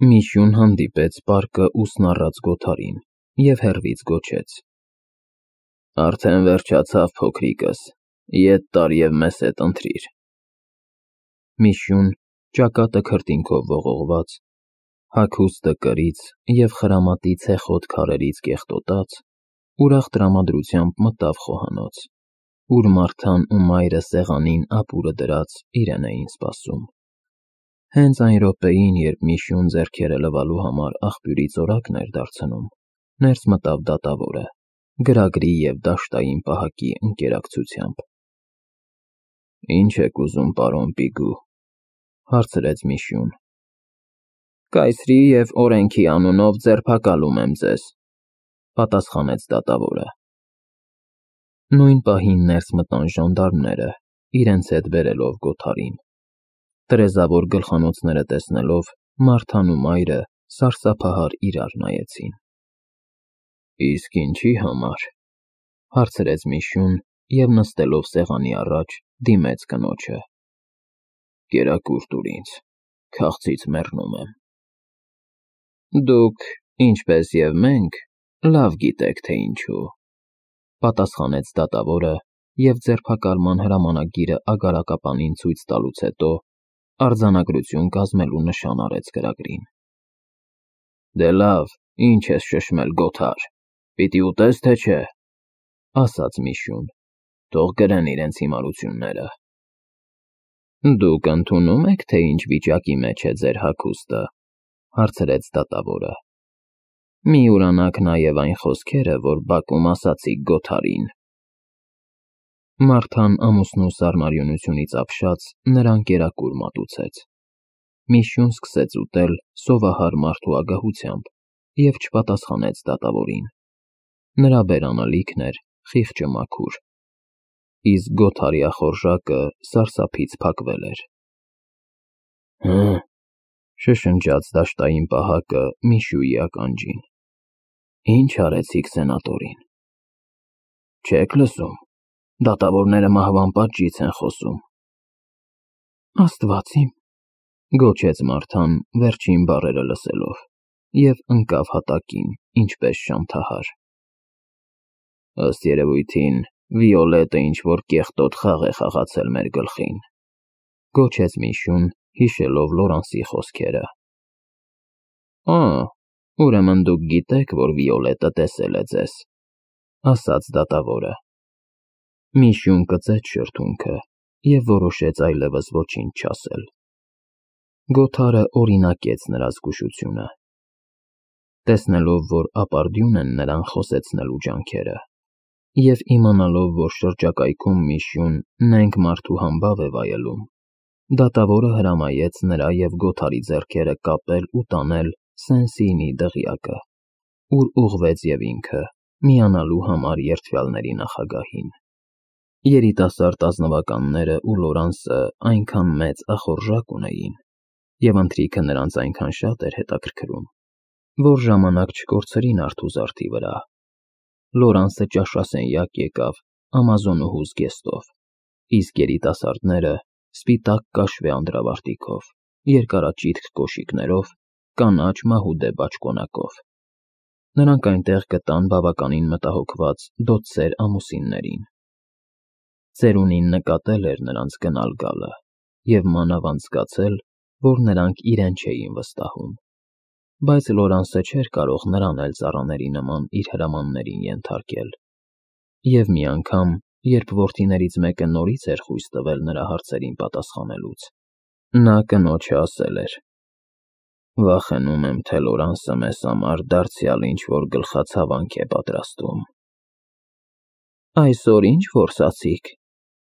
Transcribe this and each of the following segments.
Միշյուն հանդիպեց պարկը ուսն առած Գոթարին և հեռվից գոչեց. Արդեն վերջացավ, փոքրիկս, ետ տար և մեզ հետ ընթրիր։ Միշյուն, ճակատը քրտինքով ողողված, հագուստը կրից և խրամատի ցեխոտ քարերից կեղտոտած, ուրախ տրամադրությամբ մտավ խոհանոց, ուր Մարթան ու մայրը սեղանին ապուրը դրած իրեն էին սպասում։ Հենց այն րոպեին, երբ Միշյուն ձեռքերը լվալու համար աղբյուրից օրակն էր դարձնում, ներս մտավ դատավորը, գրագրի և դաշտային պահակի ընկերակցությամբ։ Ինչ եք ուզում, պարոն Պիգու, հարցրեց Միշյուն։ Կայսրի և օրենքի անունով ձերբակալում եմ ձեզ, պատասխանեց դատավորը։ Նույն պահին ներս մտան ժանդարմները, իրենց հետ բերելով Գոթարին։ Տրեզավոր գլխանոցները տեսնելով, Մարթան ու մայրը սարսափահար իրար նայեցին։ Իսկ ինչի համար, հարցրեց Միշյուն և նստելով սեղանի առաջ, դիմեց կնոջը։ Կերակուր տուր ինձ, քաղցից մեռնում եմ։ Դուք, ինչպես և մենք, լավ գիտեք, թե ինչու, պատասխանեց դատավորը և ձերբակալման հրամանագիրը ագարակապանին ցույց տալուց հետո արձանագրություն կազմելու նշան արեց գրագրին։ Դե լավ, ինչ ես շշմել, Գոթար, պիտի ուտես, թե չէ, ասաց Միշյուն, թող գրեն իրենց հիմարությունները։ Դուք ընդունում եք, թե ինչ վիճակի մեջ է ձեր հագուստը, հարցրեց դատավորը։ Մի ուրանաք նաև այն խոսքերը, որ բակում ասացիք Գոթարին։ Մարթան ամուսնու սառնարյունությունից ապշած նրան կերակուր մատուցեց։ Միշյուն սկսեց ուտել սովահար մարդու ագահությամբ և չպատասխանեց դատավորին։ Նրա բերանը լիքն էր, խիղճը մաքուր, իսկ Գոթարի ախորժակը սարսափից փակվել էր։ Հը, շշնջաց դաշտային պահակը Միշյուի ականջին։ Ինչ արեցիք սենատորին։ Չեք լսում, դատավորները մահվան պատժից են խոսում։ Աստված իմ, գոչեց Մարթան վերջին բառերը լսելով և ընկավ հատակին, ինչպես շանթահար։ Ըստ երևույթին, Վիոլետը ինչ-որ կեղտոտ խաղ է խաղացել մեր գլխին, գոչեց Միշյուն, հիշելով Լորանսի խոսքերը։ Ուրեմն դուք գիտեք, որ Վիոլետը տեսել է ձեզ, ասաց դատավորը։ Միշյուն կծեց շրթունքը և որոշեց այլևս ոչինչ չասել։ Գոթարը օրինակեց նրա զգուշությունը։ Տեսնելով, որ ապարդյուն են նրան խոսեցնելու ջանքերը, և իմանալով, որ շրջակայքում Միշյուն նենգ մարդու համբավ է վայելում, դատավորը հրամայեց նրա և Գոթարի ձեռքերը կապել ու տանել Սեն-Սիինի դղյակը, ուր ուղղվեց և ինքը, միանալու համար երդվյալների նախագահին։ Երիտասարդ ազնվականները ու Լորանսը այնքան մեծ ախորժակ ունեին, և ընթրիքը նրանց այնքան շատ էր հետաքրքրում, որ ժամանակ չկորցրին արթուզարդի վրա։ Լորանսը ճաշասենյակ եկավ Ամազոնուհու զգեստով, իսկ երիտասարդները սպիտակ կաշվե անդրավարտիքով, երկարաճիթք կոշիկներով, կանաչ մահուդե բաճկոնակով։ Նրանք այնտեղ գտան բավականին մտահոգված դոցեր ամուսիններին։ Ծերունին նկատել էր նրանց գնալ գալը և մանավանդ զգացել, որ նրանք իրեն չէին վստահում, բայց Լորանսը չէր կարող նրան էլ ծառաների նման իր հրամաններին ենթարկել։ Եվ մի անգամ, երբ որդիներից մեկը նորից էր խույս տվել նրա հարցերին պատասխանելուց, նա կնոջը ասել էր. Վախենում եմ, թե Լորանսը մեզ համար դարձյալ ինչ-որ գլխացավանք է պատրաստում։ Այսօր ինչ որսացիք,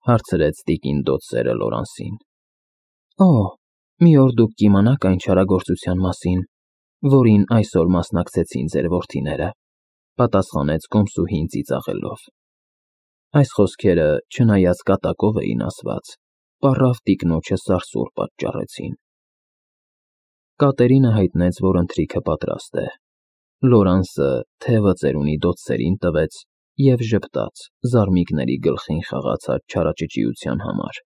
հարցրեց տիկին դոցերը Լորանսին։ Մի օր դուք կիմանաք այն չարագործության մասին, որին այսօր մասնակցեցին ձեր որդիները, պատասխանեց կոմսուհին ծիծաղելով։ Այս խոսքերը, չնայած կատակով էին ասված, պառավ տիկնոջը սարսուռ պատճառեցին։ Կատերինը հայտնեց, որ ընթրիքը պատրաստ է։ Լորանսը թևը ծերունի դոցերին տվեց և ժպտաց զարմիկների գլխին խաղացած չարաճճիության համար,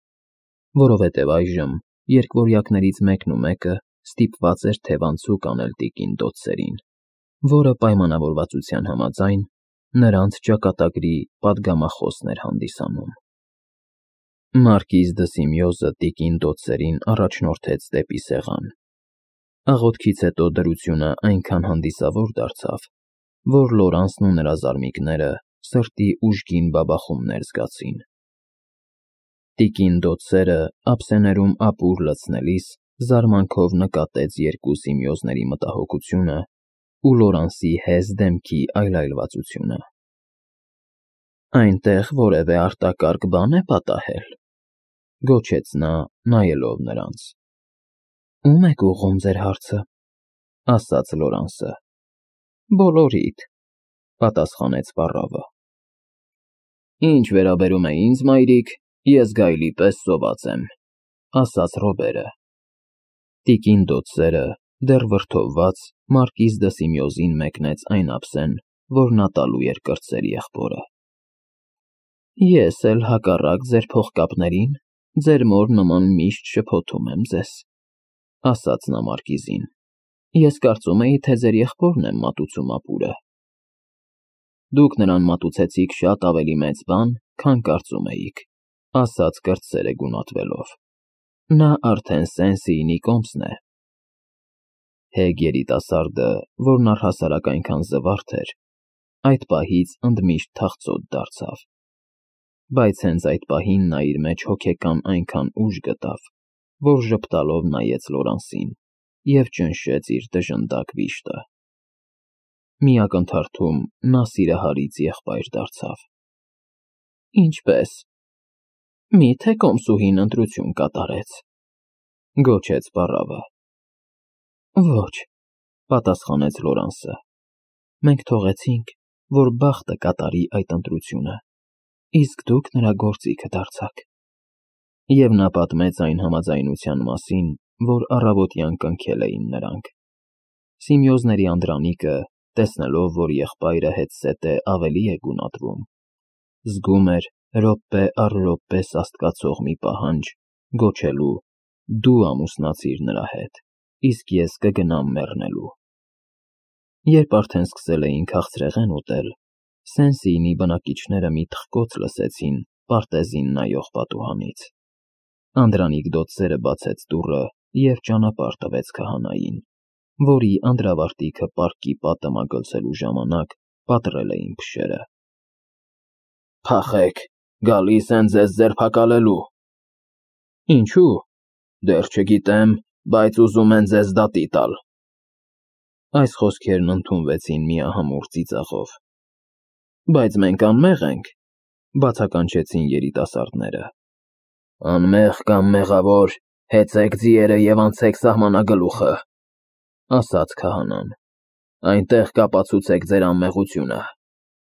որովհետև այժմ երկվորյակներից մեկն ու մեկը ստիպված էր թևանցուկ անել տիկին Դոցերին, որը պայմանավորվածության համաձայն նրանց ճակատագրի պատգամախոսն էր հանդիսանում։ Մարկիզ դը Սիմեոզը տիկին Դոցերին առաջնորդեց դեպի սեղան։ Աղոթքից հետո դրությունը այնքան հանդիսավոր դարձավ, որ Լորանսն ու նրա զարմիկները սրտի ուժգին բաբախումներ զգացին։ Տիկին Դոցերը ափսեներում ապուր լցնելիս զարմանքով նկատեց երկու Սիմեոզների մտահոգությունը ու Լորանսի հեզ դեմքի այլայլվածությունը։ «Այնտեղ որևէ արտակարգ բան է պատահել», գոչեց նա, նայելով նրանց։ «Ո՞ւմ եք ուղղում ձեր հարցը», ասաց Լորանսը։ «Բոլորիդ», պատասխանեց պառավը։ «Ինչ վերաբերում է ինձ, մայրիկ, ես գայլի պես սոված եմ», ասաց Ռոբերը։ Տիկին Դոցերը, դեռ վրդովված, Մարկիզ դը Սիմեոզին մեկնեց այն ափսեն, որ նա տալու էր կրտսեր եղբորը։ «Ես էլ հակառակ ձեր փողկապներին, ձեր մոր նման միշտ շփոթում եմ ձեզ», ասաց նա Մարկիզին։ «Ես կարծում էի, թե ձեր եղբորն եմ մատուցում ապուրը»։ «Դուք նրան մատուցեցիք շատ ավելի մեծ բան, քան կարծում էիք», ասաց կրտսերը գունատվելով։ «Նա արդեն Սեն-Սիինի կոմսն է»։ Հեգ երիտասարդը, որն առհասարակ այնքան զվարթ էր, այդ պահից ընդմիշտ թախծոտ դարձավ։ Բայց հենց այդ պահին նա իր մեջ հոգեկան այնքան ուժ գտավ, որ ժպտալով նայեց Լորանսին և ճնշեց իր դժնդակ վիշտը։ Մի ակնթարթում նա սիրահարից եղբայր դարձավ։ «Ինչպե՞ս։ Մի՞թե կոմսուհին ընտրություն կատարեց», գոչեց պառավը։ «Ոչ», պատասխանեց Լորանսը։ «Մենք թողեցինք, որ բախտը կատարի այդ ընտրությունը, իսկ դուք նրա գործիքը դարձաք»։ Եվ նա պատմեց այն համաձայնության մասին, որ առավոտյան կնքել էին նրանք։ Սիմեոզների անդրանիկը, տեսնելով, որ եղբայրը հետզհետե ավելի է գունատվում, զգում էր րոպե առ րոպե սաստկացող մի պահանջ գոչելու. «Դու ամուսնացիր նրա հետ, իսկ ես կգնամ մեռնելու»։ Երբ արդեն սկսել էին քաղցրեղեն ուտել, Սեն-Սիինի բնակիչները մի թխկոց լսեցին պարտեզին նայող պատուհանից։ Անդրանիկ Դոցերը բացեց դուռը և ճանապարհ տվեց քահանային, որի անդրավարտիքը պարկի պատը մագլցելու ժամանակ պատռել էին փշերը։ «Փախեք, գալիս են ձեզ ձերբակալելու»։ «Ինչու՞։ Դեռ չգիտեմ, բայց ուզում են ձեզ դատի տալ»։ Այս խոսքերն ընդունվեցին միահամուռ ծիծաղով։ «Բայց մենք անմեղ ենք», բացականչեցին երիտասարդները։ «Անմեղ կամ մեղավոր, հեծեք ձիերը և անցեք սահմանագլուխը», ասաց քահանան։ «Այնտեղ կապացուցեք ձեր անմեղությունը։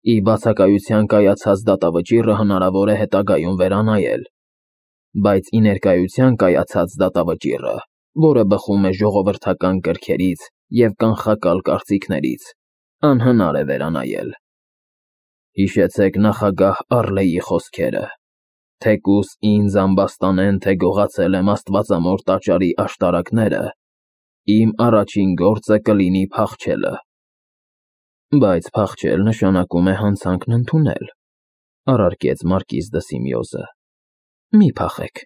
Ի բացակայության կայացած դատավճիռը հնարավոր է հետագայում վերանայել, բայց ի ներկայության կայացած դատավճիռը, որը բխում է ժողովրդական կրքերից և կանխակալ կարծիքներից, անհնար է վերանայել։ Հիշեցեք նախագահ Առլեի խոսքերը. թեկուզ ինձ ամբաստանեն, թե գողացել եմ աստվածամոր տաճարի աշտարակները, իմ առաջին գործը կլինի փախչելը»։ «Բայց փախչել նշանակում է հանցանքն ընդունել», առարկեց Մարկիզ դը Սիմեոզը։ «Մի փախեք»,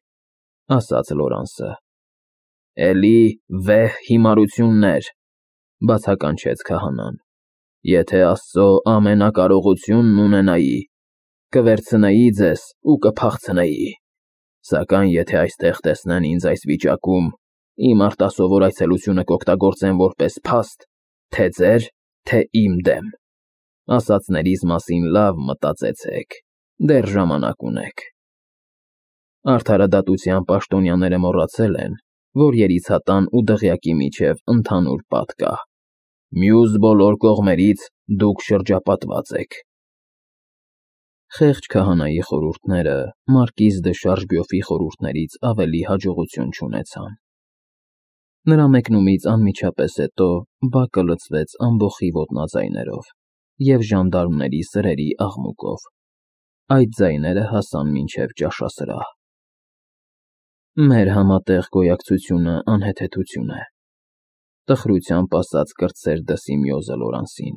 ասաց Լորանսը։ «Էլի վեհ հիմարություններ», բացականչեց քահանան։ «Եթե Աստծո ամենակարողությունն ունենայի, կվերցնեի ձեզ ու կփախցնեի, սակայն եթե այստեղ տեսնեն ինձ այս վիճակում, իմ արտասովոր այցելությունը կօգտագործեն որպես փաստ թե՛ ձեր, թե՛ իմ դեմ։ Ասածներիս մասին լավ մտածեցեք, դեռ ժամանակ ունեք»։ Արդարադատության պաշտոնյաները մոռացել են, որ երիցատան ու դղյակի միջև ընդհանուր պատ կա։ Մյուս բոլոր կողմերից դուք շրջապատված եք։ Խեղճ քահանայի խորհուրդները Մարկիզ դը Շարժբյոֆի խորհուրդներից ավելի հաջողություն չունեցան։ Նրա մեկնումից անմիջապես հետո բակը լցվեց ամբոխի ոտնաձայներով և ժանդարմների սրերի աղմուկով։ Այդ ձայները հասան մինչև ճաշասրահ։ «Մեր համատեղ գոյակցությունը անհեթեթություն է», տխրությամբ ասաց կրտսեր Սիմեոզը Լորանսին։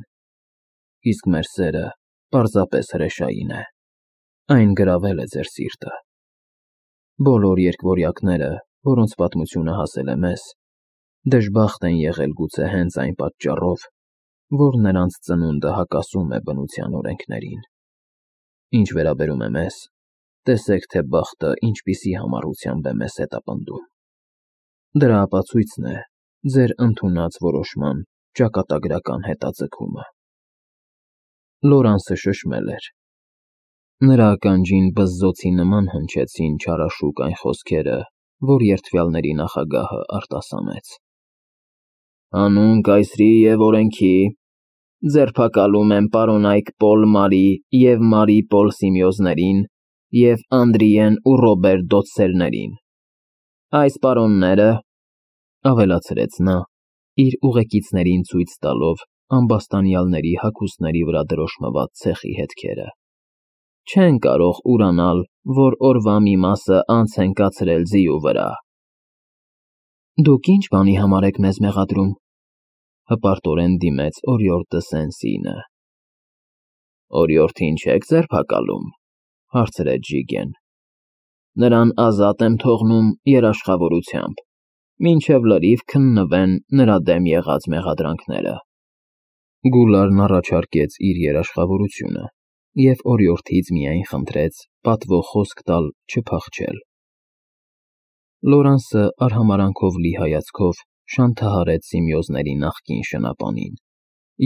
Իսկ մեր սերը պարզապես հրեշային է, այն գրավել է ձեր սիրտը։ Բոլոր երկվորյակները, որոնց պատմությունը հասել է մեզ, դժբախտ են եղել գուցե հենց այն պատճառով, որ նրանց ծնունդը հակասում է բնության օրենքներին։ Ինչ վերաբերում է մեզ, տեսեք, թե բախտը ինչպիսի համառությամբ է մեզ հետապնդում։ Դրա ապացույցն է ձեր ընդունած որոշման ճակատագրական հետաձգումը։ Լորանսը շշմել էր։ Նրա ականջին բզզոցի նման հնչեցին չարաշուկ այն խոսքերը, որ երդվյալների նախագահը արտասանեց։ Հանուն կայսրի և օրենքի ձերբակալում եմ պարոնայք Պոլ Մարի և Մարի Պոլ Սիմեոզներին և Անդրիեն ու Ռոբերտ Դոցսերներին։ Այս պարոնները, ավելացրեց նա, իր ուղեկիցներին ցույց տալով ամբաստանյալների հագուստների վրա դրոշմված ցեխի հետքերը, չեն կարող ուրանալ, որ օրվա մի մասը անց են կացրել ձիու վրա։ Դուք ինչ բանի համար եք մեզ մեղադրում, հպարտորեն դիմեց օրիորդը Սեն-Սինը։ Օրիորդին չեք ձերբակալում, հարցրեց Ժիգեն։ Նրան ազատ եմ թողնում երաշխավորությամբ, մինչև լրիվ քննվեն նրա դեմ եղած մեղադրանքները։ Գուլարն առաջարկեց իր երաշխավորությունը և օրիորդից միայն խնդրեց պատվո խոսք տալ չփախչել։ Լորանսը արհամարհանքով լի հայացքով շանթահարեց Սիմեոզների նախկին շնապանին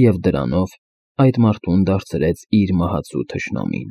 և դրանով այդ մարդուն դարձրեց իր մահացու թշնամին։